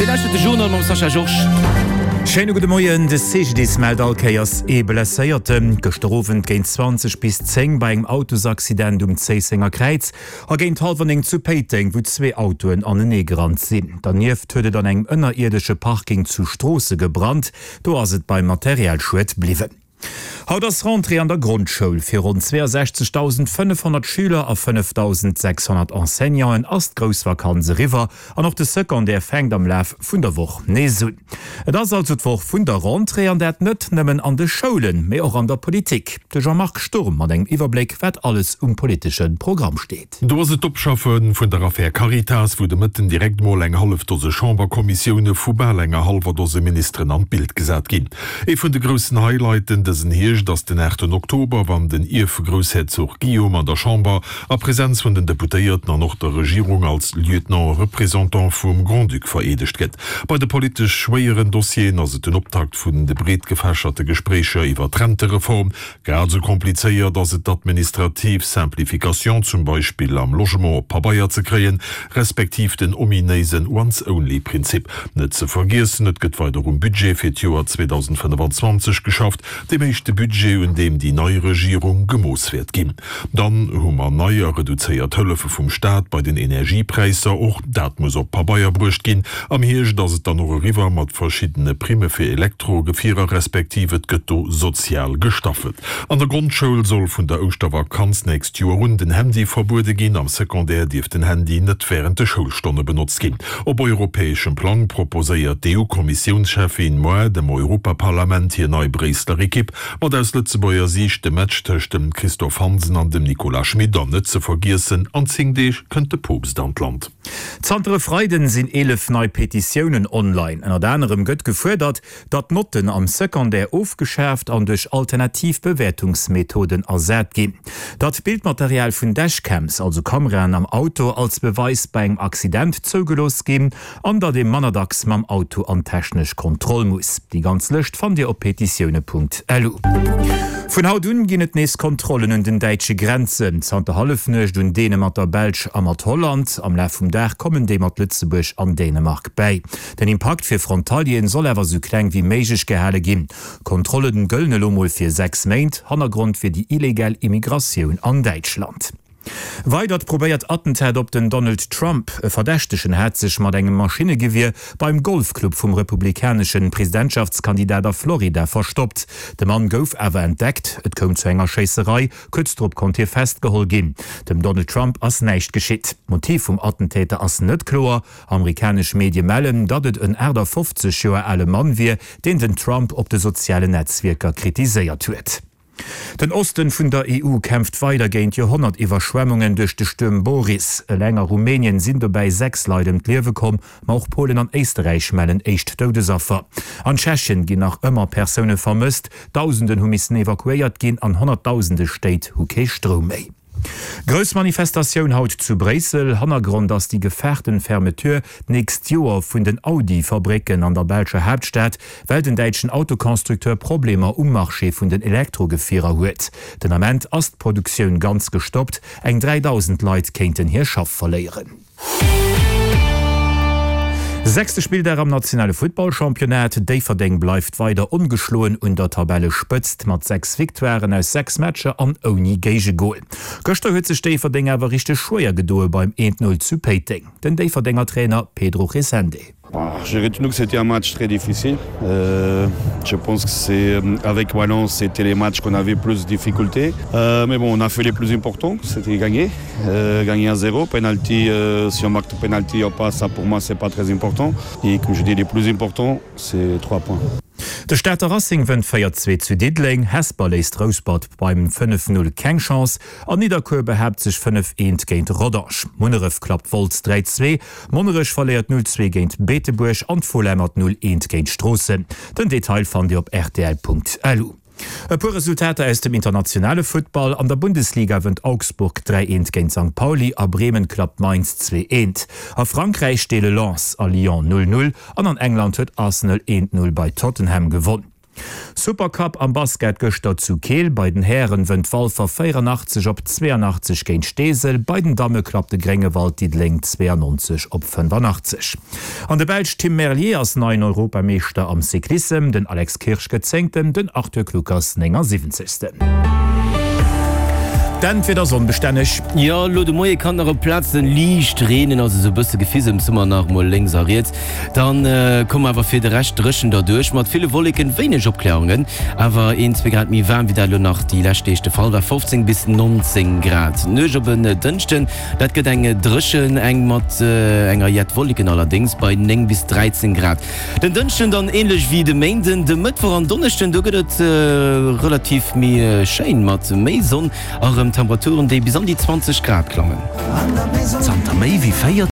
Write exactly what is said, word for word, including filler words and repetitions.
Dir lauschtert de Journal mam Sascha Georges. Schéine gudde Moien, De C G D I S mellt all Kéiers ee Blesséierten. Gëschter Owend géint zwanzeg bis zéng bei engem Autosaccident um Zéissenger Kräiz a géint hallwer néng zu Péiteng, wou zwee Autoen anenee gerannt sinn. Dernieft huet et an engem ënnerierdesche Parking zu Stroosse gebrannt. Do ass et beim Materialschued bliwwen. Haut ass Rentrée an der Grondschoul. Fir ronn zweeasechzegdausendfënnefhonnert Schüler a fënnefdausendsechshonnert Enseignanten ass d'grouss Vakanz eriwwer an och de Secondaire fänkt am Laf vun der Woch nees un. Et ass also d'Woch vun der Rentrée an dat net nëmmen an de Schoulen, mee och an der Politik. De Jean-Marc Sturm mat engem Iwwerbléck, wat alles um politesche Programm steet. Do ass et d'Opschaffe vun der Affär Caritas, wou de Mëtten direkt mol eng hallef Dose Chamberkommissioune vu bal enger hallwer Dose Ministeren an d'Bild gesat ginn. Ee vun de groussen Highlighten dësen Hierscht ass den aachten Oktober, wann den Ierfgroussherzog Guillaume an der Chamber a Presenz vun den Deputéierten an och der Regierung als Lieutenant représentant vum Grand-Duc vereedegt gëtt. Bei de politesch schwéieren Dossieren ass et den Optakt vun de breet gefächerte Gespréicher iwwer d'Rentereform. Grad esou komplizéiert ass et d'administrativ Simplification, zum Beispill am Logement, op Pabeier ze kréien, respektiv den ominéisen Once-Only-Prinzip. Net ze vergiessen, et gëtt weider um Budget fir d'Joer zweedausendfënnefanzwanzeg geschafft, deem éischte Budget, un deem déi nei Regierung gemooss wäert ginn. Dann hu mer nei a reduzéiert Hëllefe vum Staat bei den Energiepräisser, och dat muss op Pabeier bruecht ginn. Am Hierscht ass et dann och eriwwer mat verschiddene Primme fir Elektrogefierer, respektiv et gëtt do sozial gestaffelt. An der Grondschoul soll vun der Ouschtervakanz nächst Joer un den Handy verbuede ginn, am Secondaire dierf den Handy net wärend de Schoulstonne benotzt ginn. Op europäeschem Plang proposéiert d'E U-Kommissiounscheffin muer dem Europaparlament hir nei Bréisseler Ekipp, mat aus Lëtzebuerger Siicht dem Match tëscht dem Christophe Hansen an dem Nicolas Schmit. An net ze vergiessen, an zéng Deeg kënnt de Poopst an d'Land. Zanter e Freiden sinn eelef nei Petitiounen online. Ënnert anerem gëtt gefuerdert, datt d'Notten am Secondaire ofgeschaaft an duerch alternativ Bewäertungsmethoden ersat ginn. Datt Bildmaterial vun Dashcams, also Kameraen am Auto, als Beweis bei engem Accident zougelooss ginn an datt ee manner dacks mam Auto an d'technesch Kontroll muss. Déi ganz Lëscht fannt Dir op petitioune Punkt lu. Vun haut un ginn et nees Kontrollen un den däitsche Grenzen. Zanter Hallefnuecht un deene mat der Belsch a mat Holland. Am Laf vum Dag kommen déi mat Lëtzebuerg an Dänemark bäi. Den Impakt fir Frontalieren soll awer sou kleng wéi méiglech gehale ginn. Kontrollen gëllen elo mol fir sechs Méint. Hannergrond wier déi illegal Immigratioun an Däitschland. Weidert probéiert Attentat op den Donald Trump. E Verdächtegen hat sech mat engem Maschinnegewier beim Golfclub vum republikanesche Presidentschaftskandidat a Florida verstoppt. De Mann gouf awer entdeckt, et koum zu enger Schéisserei, kuerz drop konnt hie festgeholl ginn. Dem Donald Trump ass näischt geschitt. D'Motiv vum Attentäter ass net kloer. Amerikanesch Medie mellen, datt et en aachtafofzeg Joer ale Mann wier, deen den Trump op de sozialen Netzwierker kritiséiert huet. Den Osten vun der E U kämpft weider géint Joerhonnert-Iwwerschwemmungen duerch de Stuerm Boris. Eleng a Rumänien sinn dobäi sechs Leit ëm d'Liewe komm, ma och Polen an Éisterräich mellen éischt Doudesaffer. An Tschechien ginn nach ëmmer Persoune vermësst, Dausenden hu missen evakuéiert ginn an Honnertdausende Stéit hu kee Stroum méi. Grouss Manifestatioun haut zu Bréissel. Hannergrond ass déi gefaarten Fermeture d'nächst Joer vun den Audi-Fabrécken an der belscher Haaptstad, well den däitschen Autoconstructeur Problemer um Marché vun den Elektrogefierer huet. Den Ament ass d'Produktioun ganz gestoppt, eng dräidausend Leit kéinten hir Schaff verléieren. Sechste Spilldag am nationale Futtballchampionnat, Déifferdeng bleift weider ongeschloen un der Tabellespëtzt mat sechs Victoiren aus sechs Matcher an ouni Géigegol. Gëschter huet sech Déifferdeng awer richteg schwéier gedoe beim eent Null zu Péiteng. Den Déifferdenger Trainer Pedro Resende. J'ai retenu que c'était un match très difficile. Euh, je pense que c'est avec Valence, c'était les matchs qu'on avait plus de difficultés. Euh, mais bon, on a fait les plus importants, c'était gagner. Euh, gagner à zéro, penalty, euh, si on marque penalty ou pas, ça pour moi c'est pas très important. Et comme je dis, les plus importants, c'est trois points. De Stater Racing wënnt véier zwee zu Diddeleng, Hesper léisst Rouspert beim fënnef null keng Chance an Nidderkuer behaapt sech fënnef eent géint Rodange. Munneref klappt Wolz dräi zwee, Monnerech verléiert null zwee géint Beetebuerg an d'Fola mat null eent géint Stroossen. Den Detail fannt Dir op rtl Punkt lu. E puer Resultater aus dem internationale Futtball, An der Bundesliga wënnt Augsburg dräi eent géint Sankt Pauli a Bremen klappt Mainz zwee eent. A Frankräich deele Lens a Lyon null null an an England huet Arsenal eent null bei Tottenham gewonn. Supercup am Basket gëschter zu Keel, Bei den Hären wënnt Walfer véierannachtzeg op zweeannachtzeg géint Steesel, bei den Damme klappt de Gréngewald Diddeleng zweeannonzeg op fënnefannachtzeg. An de Belsch Tim Merlier ass neien Europameeschter am Cyclissem, den Alex Kirsch gëtt Zéngten, den Arthur Kluckers néngasiwwenzegsten. D'Endwieder onbestänneg. Jo, elo de Moie kann nach op Plazen liicht reenen, also esou e bësse Gefisems hu mer nach mol lénks a riets. Dann komme mer awer fir de Rescht dréchen derduerch, mat ville Wolleken, wéineg Opklärungen, awer een, zwee Grad méi waarm wéi dat elo nach déi lescht Deeg de Fall war, fofzéng bis nonzéng Grad. D'Nuecht op en Dënschden, dat gëtt eng dréchen, eng mat enger jett Wolleken allerdéngs, bei néng bis dräizéng Grad. Den Dënschden dann änlech wéi de Méinden. De Mëttwoch an Donneschden, do gëtt et relativ méi schéin mat méi Sonn a rëm Temperaturen, déi bis an déi zwanzeg Grad klammen. Zanter méi wéi véier.